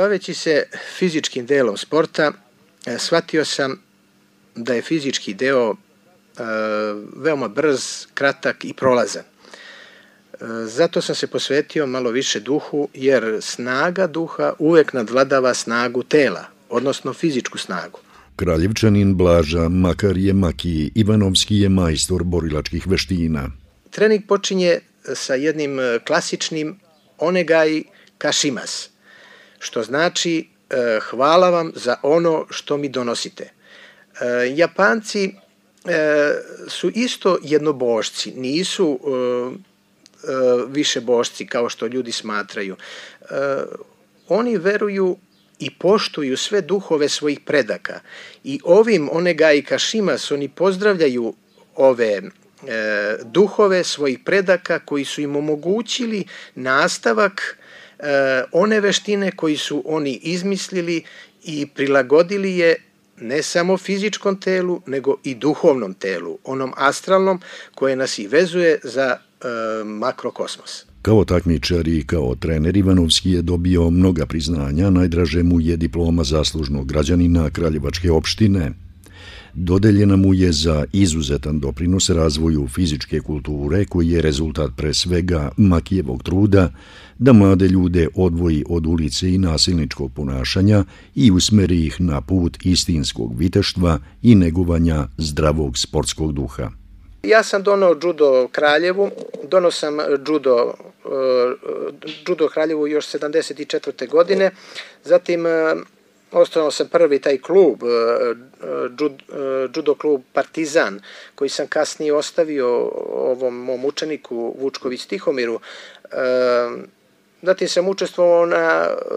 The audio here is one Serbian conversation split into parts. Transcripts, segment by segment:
Baveći se fizičkim delom sporta, shvatio sam da je fizički deo veoma brz, kratak i prolazan. Zato sam se posvetio malo više duhu, jer snaga duha uvek nadvladava snagu tela, odnosno fizičku snagu. Kraljevčanin Blaža Makarije Maki Ivanovski je majstor borilačkih veština. Trening počinje sa jednim klasičnim onegai kashimas, što znači hvala vam za ono što mi donosite. Japanci su isto jednobošci, nisu više bošci kao što ljudi smatraju. Oni veruju i poštuju sve duhove svojih predaka i ovim onegai kashimas oni pozdravljaju ove duhove svojih predaka koji su im omogućili nastavak one veštine koji su oni izmislili i prilagodili je ne samo fizičkom telu, nego i duhovnom telu, onom astralnom koje nas i vezuje za makrokosmos. Kao takmičar i kao trener Ivanovski je dobio mnoga priznanja, najdraže mu je diploma zaslužnog građanina Kraljevačke opštine. Dodeljena mu je za izuzetan doprinos razvoju fizičke kulture koji je rezultat pre svega Makijevog truda da mlade ljude odvoji od ulice i nasilničkog ponašanja i usmeri ih na put istinskog viteštva i negovanja zdravog sportskog duha. Ja sam donao judo Kraljevu, donao sam judo Kraljevu još 74. godine, zatim osnovao sam prvi taj klub, judo klub Partizan, koji sam kasnije ostavio ovom mom učeniku Vučković Tihomiru. Zatim sam učestvovao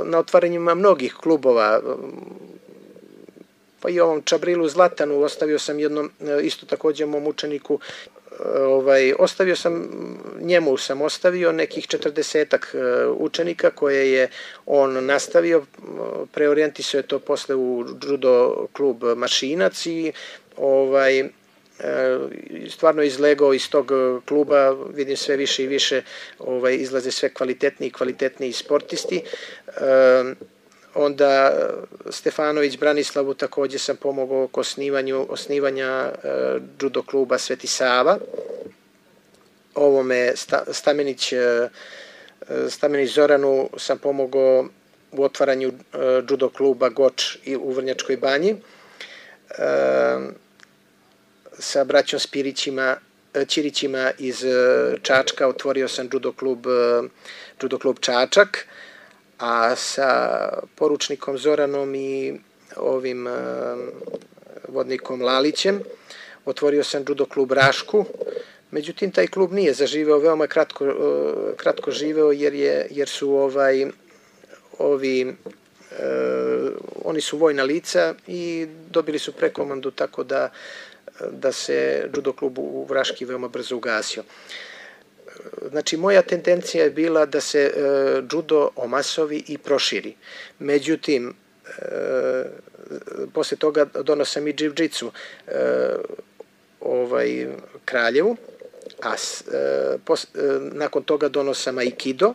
na otvaranjima mnogih klubova, pa i ovom Čabrilu Zlatanu ostavio sam jednom, isto također mom učeniku, njemu sam ostavio nekih 40-ak učenika koje je on nastavio, preorijentisao je to posle u judo klub Mašinac i stvarno izlegao iz tog kluba, vidim sve više i više izlaze sve kvalitetniji sportisti. Onda Stefanović Branislavu također sam pomogao oko osnivanja judo kluba Sveti Sava. Ovome Stamenić Zoranu sam pomogao u otvaranju judo kluba Goč u Vrnjačkoj banji. Sa braćom Ćirićima iz Čačka otvorio sam judo klub Čačak, a sa poručnikom Zoranom i ovim vodnikom Lalićem otvorio sam judo klub Rašku. Međutim, taj klub nije zaživeo, veoma kratko živeo jer su oni su vojna lica i dobili su prekomandu, tako da se judo klub u Raški veoma brzo ugasio. Znači, moja tendencija je bila da se judo omasovi i proširi. Međutim, posle toga donao sam i džiu-džitsu Kraljevu, a nakon toga donao sam aikido.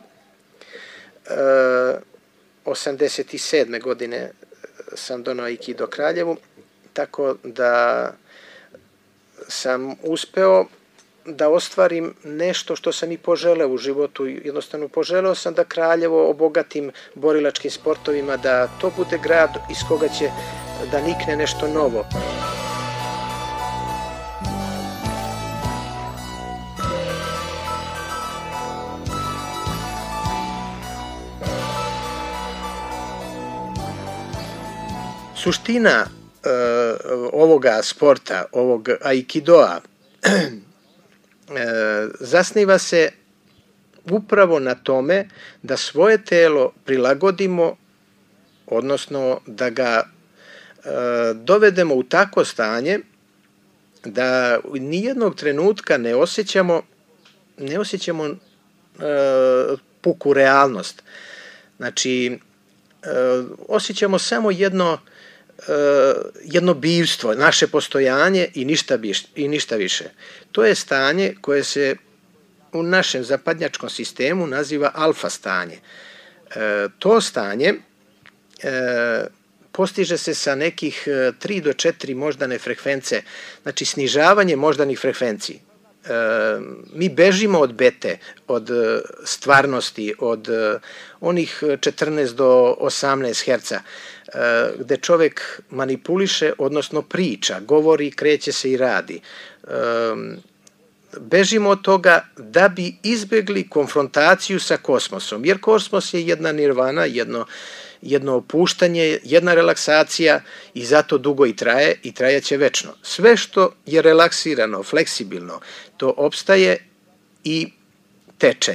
87. godine sam donao aikido Kraljevu, tako da sam uspeo da ostvarim nešto što sam i poželeo u životu. Jednostavno poželeo sam da Kraljevo obogatim borilačkim sportovima, da to bude grad iz koga će da nikne nešto novo. Suština ovoga sporta, ovog aikidoa, zasniva se upravo na tome da svoje telo prilagodimo, odnosno da ga dovedemo u takvo stanje da nijednog trenutka ne osjećamo puku realnost. Znači, osjećamo samo jedno bivstvo, naše postojanje i ništa više. To je stanje koje se u našem zapadnjačkom sistemu naziva alfa stanje. To stanje postiže se sa nekih 3 do 4 moždane frekvence, znači snižavanje moždanih frekvenciji. Mi bežimo od bete, od stvarnosti, od onih 14 do 18 herca, gde čovek manipuliše, odnosno priča, govori, kreće se i radi. Bežimo od toga da bi izbegli konfrontaciju sa kosmosom, jer kosmos je jedna nirvana, jedno opuštanje, jedna relaksacija i zato dugo i traje i trajaće večno. Sve što je relaksirano, fleksibilno, to opstaje i teče.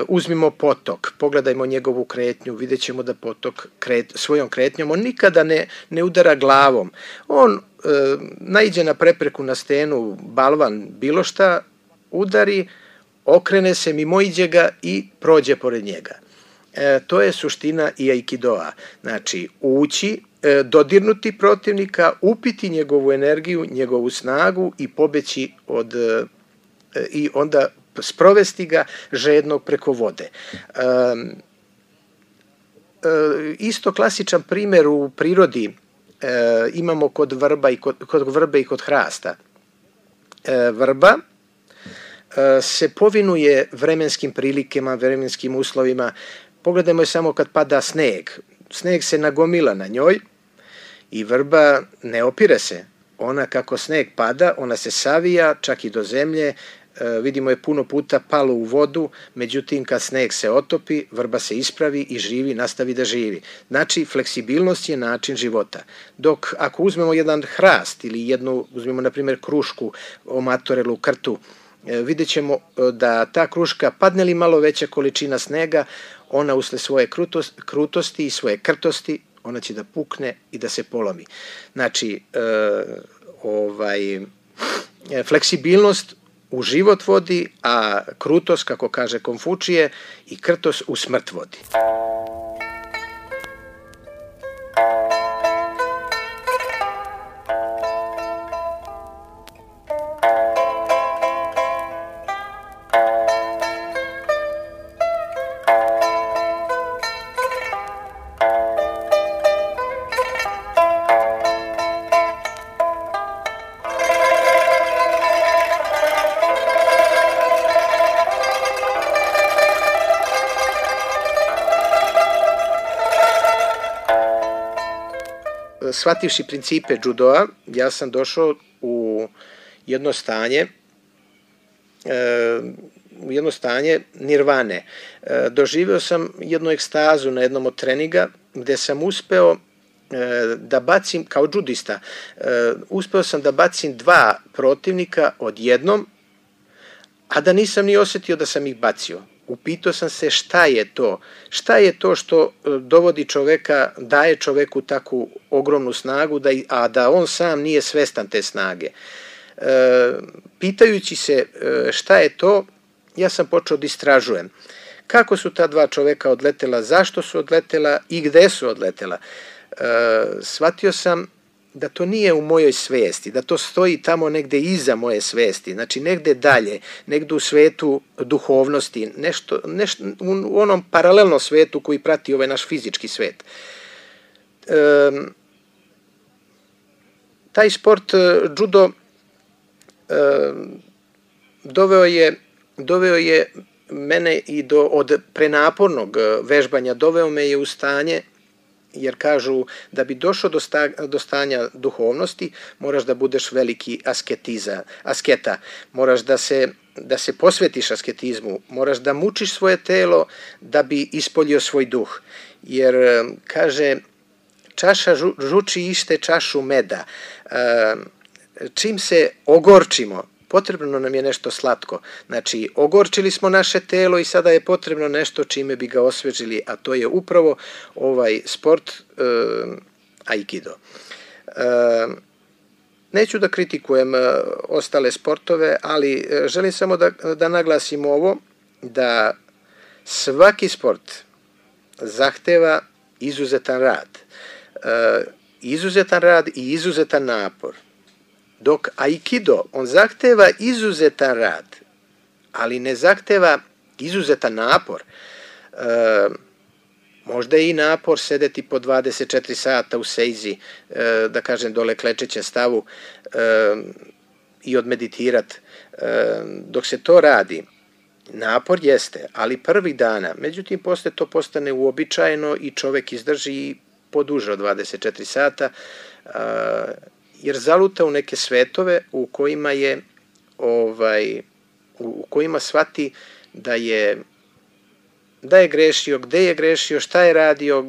Uzmimo potok, pogledajmo njegovu kretnju, vidjet ćemo da potok svojom kretnjom, on nikada ne udara glavom. On naiđe na prepreku, na stenu, balvan, bilo šta, udari, okrene se, mimoiđe ga i prođe pored njega. To je suština i aikidoa. Znači, ući, dodirnuti protivnika, upiti njegovu energiju, njegovu snagu i pobeći i onda sprovesti ga žednog preko vode. Isto klasičan primer u prirodi imamo kod vrbe i kod hrasta. Vrba se povinuje vremenskim prilikama, vremenskim uslovima. Pogledajmo je samo kad pada sneg. Sneg se nagomila na njoj i vrba ne opire se. Ona kako sneg pada, ona se savija čak i do zemlje. Vidimo je puno puta palo u vodu, međutim kad sneg se otopi, vrba se ispravi i živi, nastavi da živi. Znači, fleksibilnost je način života. Dok ako uzmemo jedan hrast ili uzmemo na primjer krušku, omatorelu, krtu, vidjet ćemo da ta kruška, padne li malo veća količina snega, ona usled svoje krutosti i svoje krtosti, ona će da pukne i da se polomi. Znači, fleksibilnost u život vodi, a krutost, kako kaže Konfučije, i krtost u smrt vodi. Shvativši principe judoa, ja sam došao u jedno stanje nirvane. Doživeo sam jednu ekstazu na jednom od treninga gde sam uspeo da bacim, kao judista, uspeo sam da bacim 2 protivnika odjednom, a da nisam ni osetio da sam ih bacio. Upitao sam se šta je to što dovodi čoveka, daje čoveku takvu ogromnu snagu, a da on sam nije svestan te snage. Pitajući se šta je to, ja sam počeo da istražujem. Kako su ta 2 čoveka odletela, zašto su odletela i gde su odletela. Shvatio sam da to nije u mojoj svesti, da to stoji tamo negde iza moje svesti, znači negde dalje, negde u svetu duhovnosti, nešto u onom paralelnom svetu koji prati ovaj naš fizički svet. Taj sport, judo, doveo je mene i od prenapornog vežbanja, doveo me je u stanje, jer kažu da bi došao do stanja duhovnosti moraš da budeš veliki asketa, moraš da se posvetiš asketizmu, moraš da mučiš svoje telo da bi ispoljio svoj duh, jer kaže čaša žuči iste čašu meda. Čim se ogorčimo, potrebno nam je nešto slatko. Znači, ogorčili smo naše telo i sada je potrebno nešto čime bi ga osvežili, a to je upravo ovaj sport aikido. Neću da kritikujem ostale sportove, ali želim samo da naglasim ovo, da svaki sport zahteva izuzetan rad i izuzetan napor. Dok aikido, on zahteva izuzetan rad, ali ne zahteva izuzetan napor. Možda je i napor sedeti po 24 sata u sejzi, da kažem dole klečećem stavu i odmeditirat. Dok se to radi, napor jeste, ali prvih dana, međutim posle to postane uobičajeno i čovek izdrži poduže od 24 sata, jer zaluta u neke svetove u kojima je u kojima shvati da je grešio, šta je radio,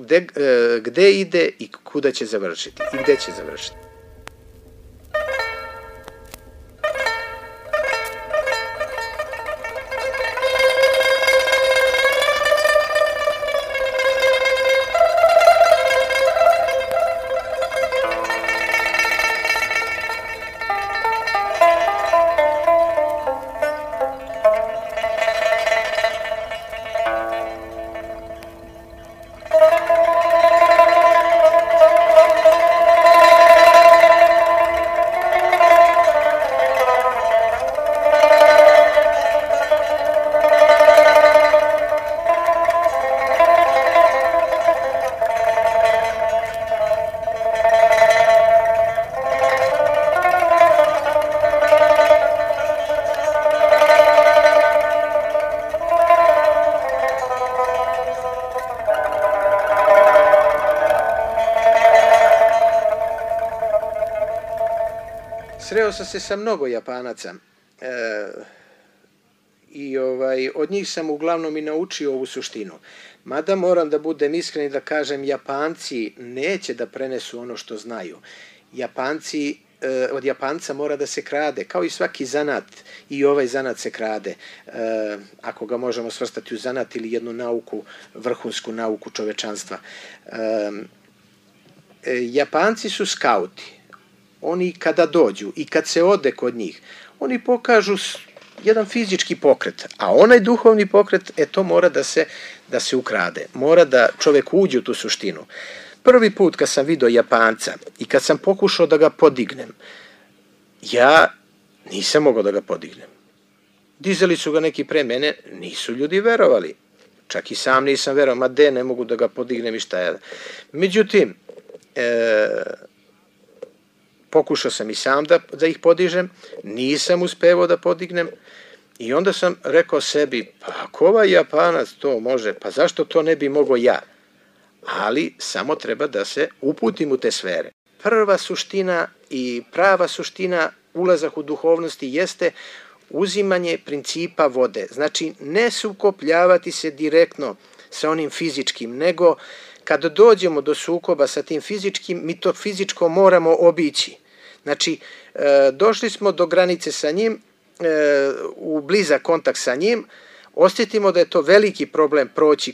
gde ide i kuda će završiti i gde će završiti. Sreo sam se sa mnogo Japanaca i od njih sam uglavnom i naučio ovu suštinu. Mada moram da budem iskren i da kažem, Japanci neće da prenesu ono što znaju. Od Japanca mora da se krade, kao i svaki zanat, i ovaj zanat se krade, ako ga možemo svrstati u zanat ili jednu nauku, vrhunsku nauku čovečanstva. Japanci su skauti. Oni kada dođu i kad se ode kod njih, oni pokažu jedan fizički pokret, a onaj duhovni pokret, to mora da se ukrade. Mora da čovek uđe u tu suštinu. Prvi put kad sam vidio Japanca i kad sam pokušao da ga podignem, ja nisam mogao da ga podignem. Dizali su ga neki pre mene, nisu ljudi verovali. Čak i sam nisam verovao, ne mogu da ga podignem i šta je. Međutim, pokušao sam i sam da ih podižem, nisam uspevao da podignem i onda sam rekao sebi, pa ako ovaj Japanac to može, pa zašto to ne bi mogao ja? Ali samo treba da se uputim u te sfere. Prva suština i prava suština ulazak u duhovnosti jeste uzimanje principa vode. Znači, ne sukobljavati se direktno sa onim fizičkim, nego kad dođemo do sukoba sa tim fizičkim, mi to fizičko moramo obići. Znači, došli smo do granice sa njim, u blizak kontakt sa njim, osjetimo da je to veliki problem proći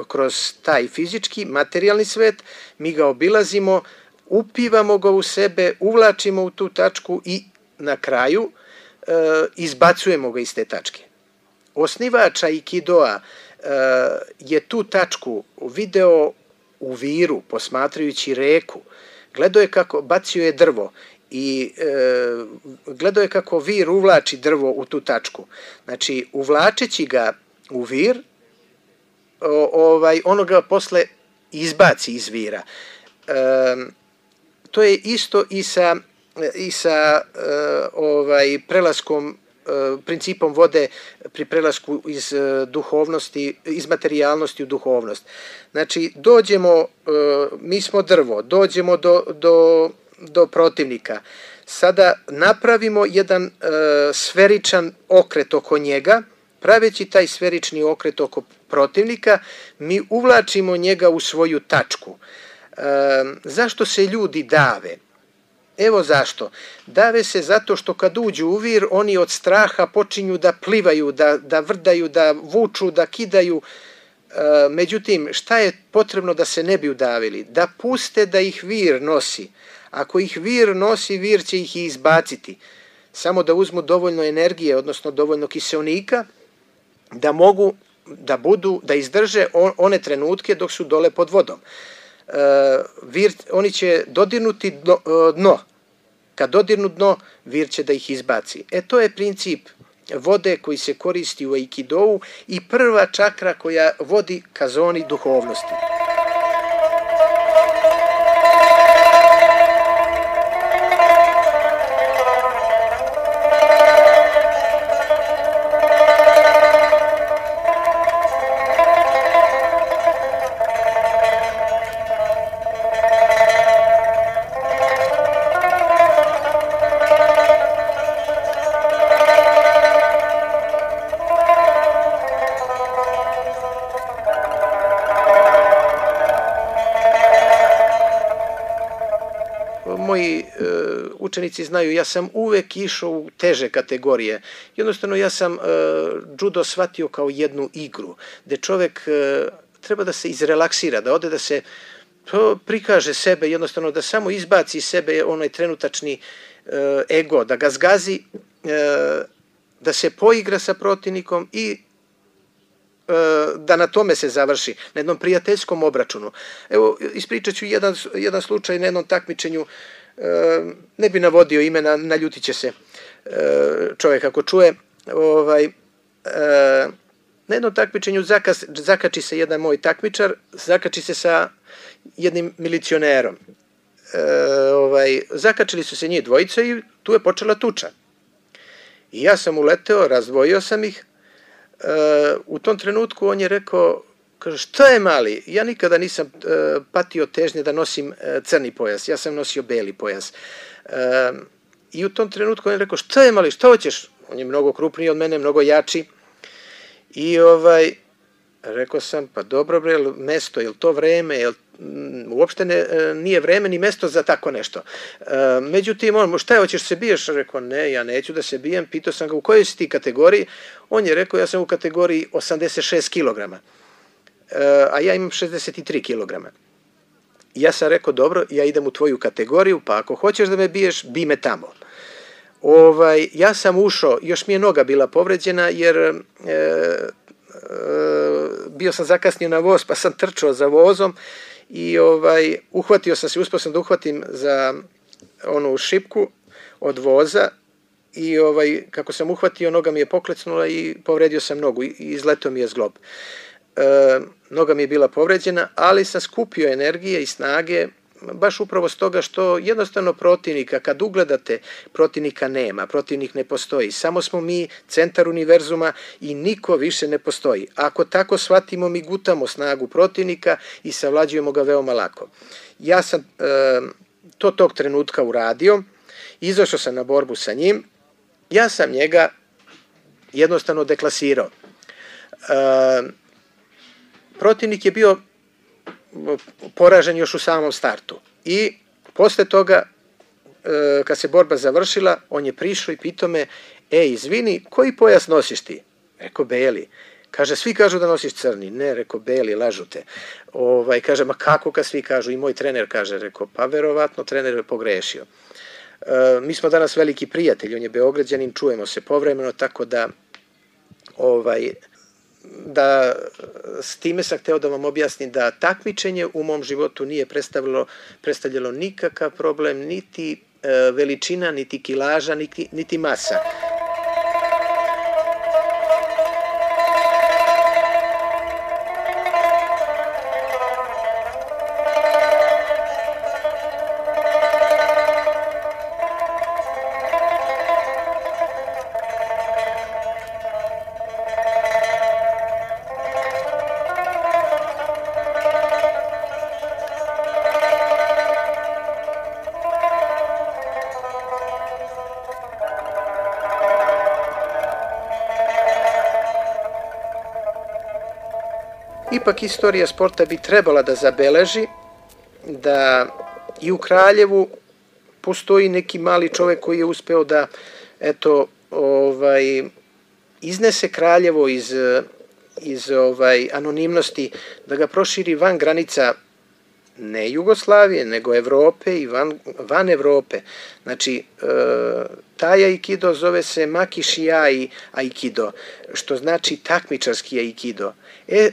kroz taj fizički, materijalni svet, mi ga obilazimo, upivamo ga u sebe, uvlačimo u tu tačku i na kraju izbacujemo ga iz te tačke. Osnivač Aikidoa je tu tačku video u viru, posmatrajući reku. Gledao je kako, bacio je drvo i gledao je kako vir uvlači drvo u tu tačku. Znači, uvlačeći ga u vir, ono ga posle izbaci iz vira. To je isto i sa prelaskom, principom vode pri prelasku iz duhovnosti, iz materijalnosti u duhovnost. Znači, dođemo, mi smo drvo, dođemo do protivnika. Sada napravimo jedan sferičan okret oko njega, praveći taj sferični okret oko protivnika, mi uvlačimo njega u svoju tačku. Zašto se ljudi dave? Evo zašto. Dave se zato što kad uđu u vir, oni od straha počinju da plivaju, da vrdaju, da vuču, da kidaju. Međutim, šta je potrebno da se ne bi udavili? Da puste da ih vir nosi. Ako ih vir nosi, vir će ih i izbaciti. Samo da uzmu dovoljno energije, odnosno dovoljno kiseonika, da mogu da izdrže one trenutke dok su dole pod vodom. Oni će dodirnuti dno. Kad dodirnu dno, vir će da ih izbaci. To je princip vode koji se koristi u Aikidou i prva čakra koja vodi ka zoni duhovnosti. moji učenici znaju, ja sam uvek išao u teže kategorije. Jednostavno ja sam judo shvatio kao jednu igru, gde čovek treba da se izrelaksira, da ode da se prikaže sebe, jednostavno da samo izbaci iz sebe onaj trenutačni ego, da ga zgazi, da se poigra sa protivnikom i da na tome se završi, na jednom prijateljskom obračunu. Evo, ispričat ću jedan slučaj na jednom takmičenju, ne bi navodio imena, naljutit će se čovjek ako čuje. Na jednom takmičenju zakači se jedan moj takmičar, zakači se sa jednim milicionerom. Zakačili su se njih dvojica i tu je počela tuča. I ja sam uleteo, razdvojio sam ih. U tom trenutku on je rekao, kaže, šta je mali? Ja nikada nisam patio težnje da nosim crni pojas, ja sam nosio beli pojas. I u tom trenutku on je rekao, šta je mali, šta hoćeš? On je mnogo krupniji od mene, mnogo jači. I rekao sam, pa dobro bre, mesto, je li to vreme, uopšte nije vreme ni mesto za tako nešto. Međutim, on, šta je, hoćeš se biješ? Rekao, ne, ja neću da se bijem. Pitao sam ga, u kojoj si ti kategoriji? On je rekao, ja sam u kategoriji 86 kg, a ja imam 63 kg. Ja sam rekao, dobro, ja idem u tvoju kategoriju, pa ako hoćeš da me biješ, bi me tamo. Ja sam ušao, još mi je noga bila povređena, jer bio sam zakasnio na voz, pa sam trčao za vozom i uhvatio sam se, uspio sam da uhvatim za onu šipku od voza i kako sam uhvatio, noga mi je poklecnula i povredio sam nogu i izletao mi je zglob. Noga mi je bila povređena, ali sam skupio energije i snage, baš upravo s toga što jednostavno protivnika, kad ugledate, protivnika nema, protivnik ne postoji, samo smo mi centar univerzuma i niko više ne postoji. Ako tako shvatimo, mi gutamo snagu protivnika i savlađujemo ga veoma lako. Ja sam to tog trenutka uradio, izašao sam na borbu sa njim, ja sam njega jednostavno deklasirao. Protivnik je bio poražen još u samom startu i posle toga kad se borba završila, on je prišao i pitao me, izvini, koji pojas nosiš ti? Rekao, beli. Kaže, svi kažu da nosiš crni. Ne, rekao, beli, lažu te. Kaže, ma kako kad svi kažu? I moj trener kaže, rekao, pa verovatno trener je pogrešio. Mi smo danas veliki prijatelji, on je Beograđanin, čujemo se povremeno, tako da s time sam hteo da vam objasnim da takmičenje u mom životu nije predstavljalo nikakav problem, niti veličina, niti kilaža, niti masa. Ipak istorija sporta bi trebala da zabeleži da i u Kraljevu postoji neki mali čovek koji je uspeo da iznese Kraljevo iz anonimnosti, da ga proširi van granica ne Jugoslavije, nego Evrope i van Evrope. Znači, taj aikido zove se Makišiai aikido, što znači takmičarski aikido.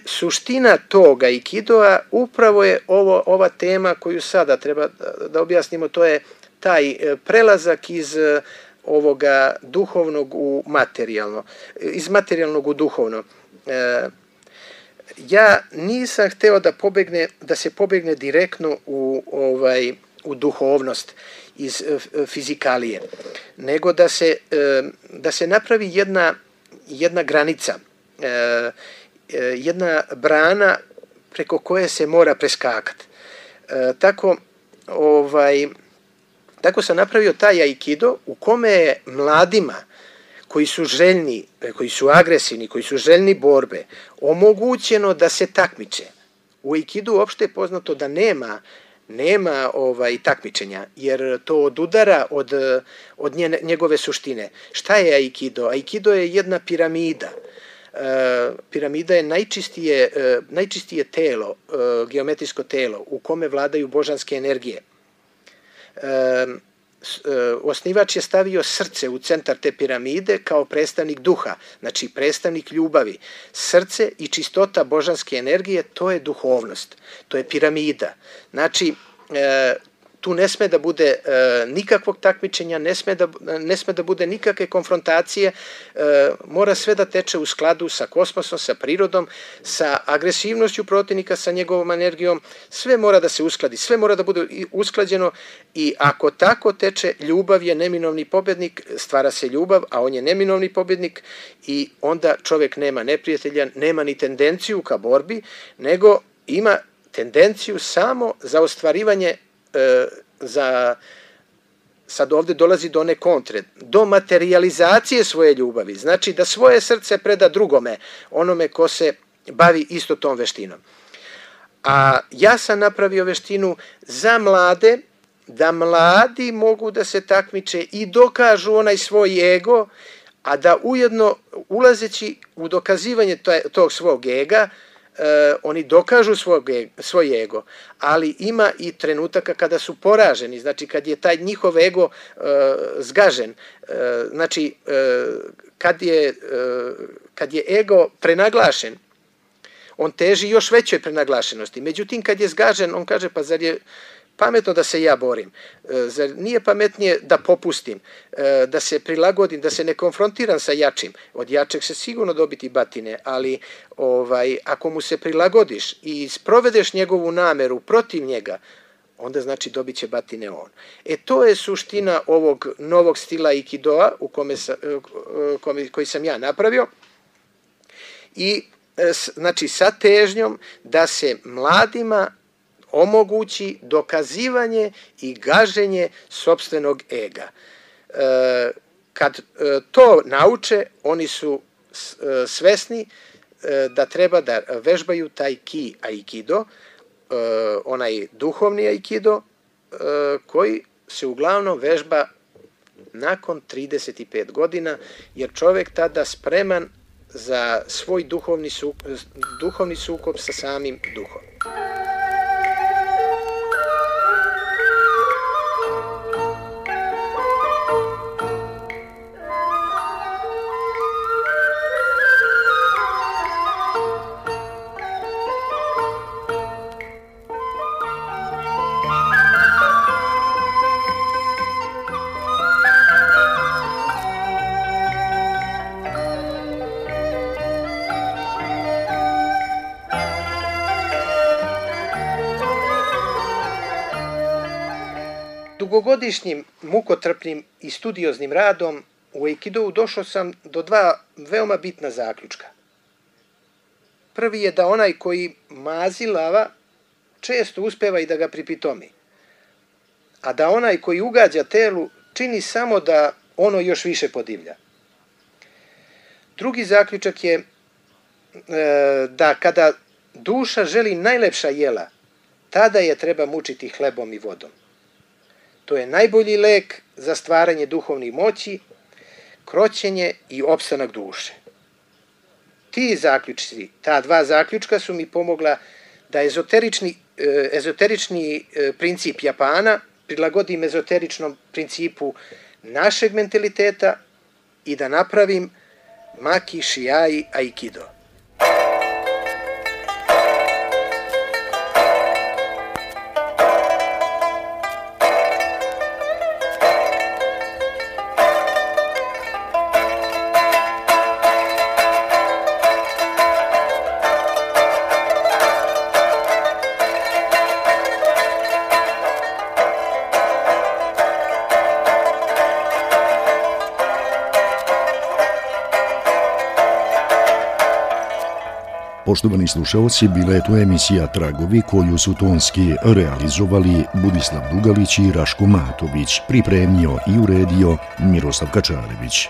Suština tog aikidoa upravo je ova tema koju sada treba da objasnimo, to je taj prelazak iz ovoga duhovnog u materijalno, iz materijalnog u duhovno. Ja nisam hteo da se pobegne direktno u duhovnost iz fizikalije, nego da se napravi jedna granica, jedna brana preko koje se mora preskakati. Tako sam napravio taj aikido u kome je mladima koji su željni, koji su agresivni, koji su željni borbe, omogućeno da se takmiče. U aikidu uopšte je poznato da nema nema takmičenja, jer to odudara od njegove suštine. Šta je aikido? Aikido je jedna piramida. Piramida je najčistije telo, geometrijsko telo u kome vladaju božanske energije. Osnivač je stavio srce u centar te piramide kao predstavnik duha, znači predstavnik ljubavi. Srce i čistota božanske energije, to je duhovnost, to je piramida. Znači, tu ne sme da bude nikakvog takmičenja, ne sme da bude nikakve konfrontacije, mora sve da teče u skladu sa kosmosom, sa prirodom, sa agresivnošću protivnika, sa njegovom energijom, sve mora da se uskladi, sve mora da bude usklađeno i ako tako teče, ljubav je neminovni pobednik, stvara se ljubav, a on je neminovni pobednik i onda čovek nema neprijatelja, nema ni tendenciju ka borbi, nego ima tendenciju samo za ostvarivanje sad ovde dolazi do one kontre, do materijalizacije svoje ljubavi, znači da svoje srce preda drugome, onome ko se bavi isto tom veštinom. A ja sam napravio veštinu za mlade, da mladi mogu da se takmiče i dokažu onaj svoj ego, a da ujedno ulazeći u dokazivanje tog svog ega, oni dokažu svoj ego, ali ima i trenutaka kada su poraženi, znači kad je taj njihov ego zgažen, znači kad je ego prenaglašen, on teži još većoj prenaglašenosti, međutim kad je zgažen, on kaže pa zar je pametno da se ja borim, zar nije pametnije da popustim, da se prilagodim, da se ne konfrontiram sa jačim, od jačeg se sigurno dobiti batine, ali ako mu se prilagodiš i sprovedeš njegovu nameru protiv njega, onda znači dobit će batine on. To je suština ovog novog stila aikidoa koji sam ja napravio i znači sa težnjom da se mladima omogući dokazivanje i gaženje sopstvenog ega. Kad to nauče, oni su svesni da treba da vežbaju taj ki aikido, onaj duhovni aikido, koji se uglavnom vežba nakon 35 godina, jer čovek tada spreman za svoj duhovni sukob sa samim duhom. Dugogodišnjim, mukotrpnim i studioznim radom u aikidou došao sam do dva veoma bitna zaključka. Prvi je da onaj koji mazi lava često uspeva i da ga pripitomi, a da onaj koji ugađa telu čini samo da ono još više podivlja. Drugi zaključak je da kada duša želi najlepša jela, tada je treba mučiti hlebom i vodom. To je najbolji lek za stvaranje duhovnih moći, kroćenje i opstanak duše. Ti zaključci, ta dva zaključka su mi pomogla da ezoterični princip Japana prilagodim ezoteričnom principu našeg mentaliteta i da napravim Maki Shiai Aikido. Poštovani slušalci, bila je to emisija Tragovi koju su tonski realizovali Budislav Dugalić i Raško Matović, pripremio i uredio Miroslav Kačarević.